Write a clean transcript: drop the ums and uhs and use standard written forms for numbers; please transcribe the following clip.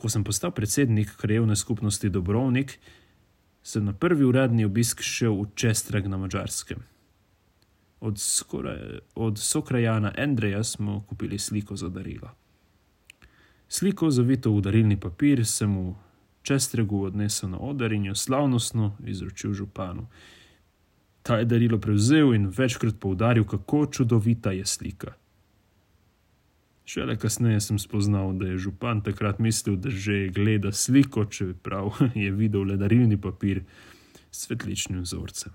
Ko sem postal predsednik krajevne skupnosti Dobrovnik, sem na prvi uradni obisk šel v Čestreg na Madžarskem. Od sokrajana Andreja smo kupili sliko za darilo. Sliko, zavito v darilni papir, sem v Čestregu odnesel na oder in jo slavnostno izročil županu. Ta je darilo prevzel in večkrat poudaril, kako čudovita je slika. Šele kasneje sem spoznal, da je župan takrat mislil, da že gleda sliko, čeprav je videl le darilni papir s cvetličnim vzorcem.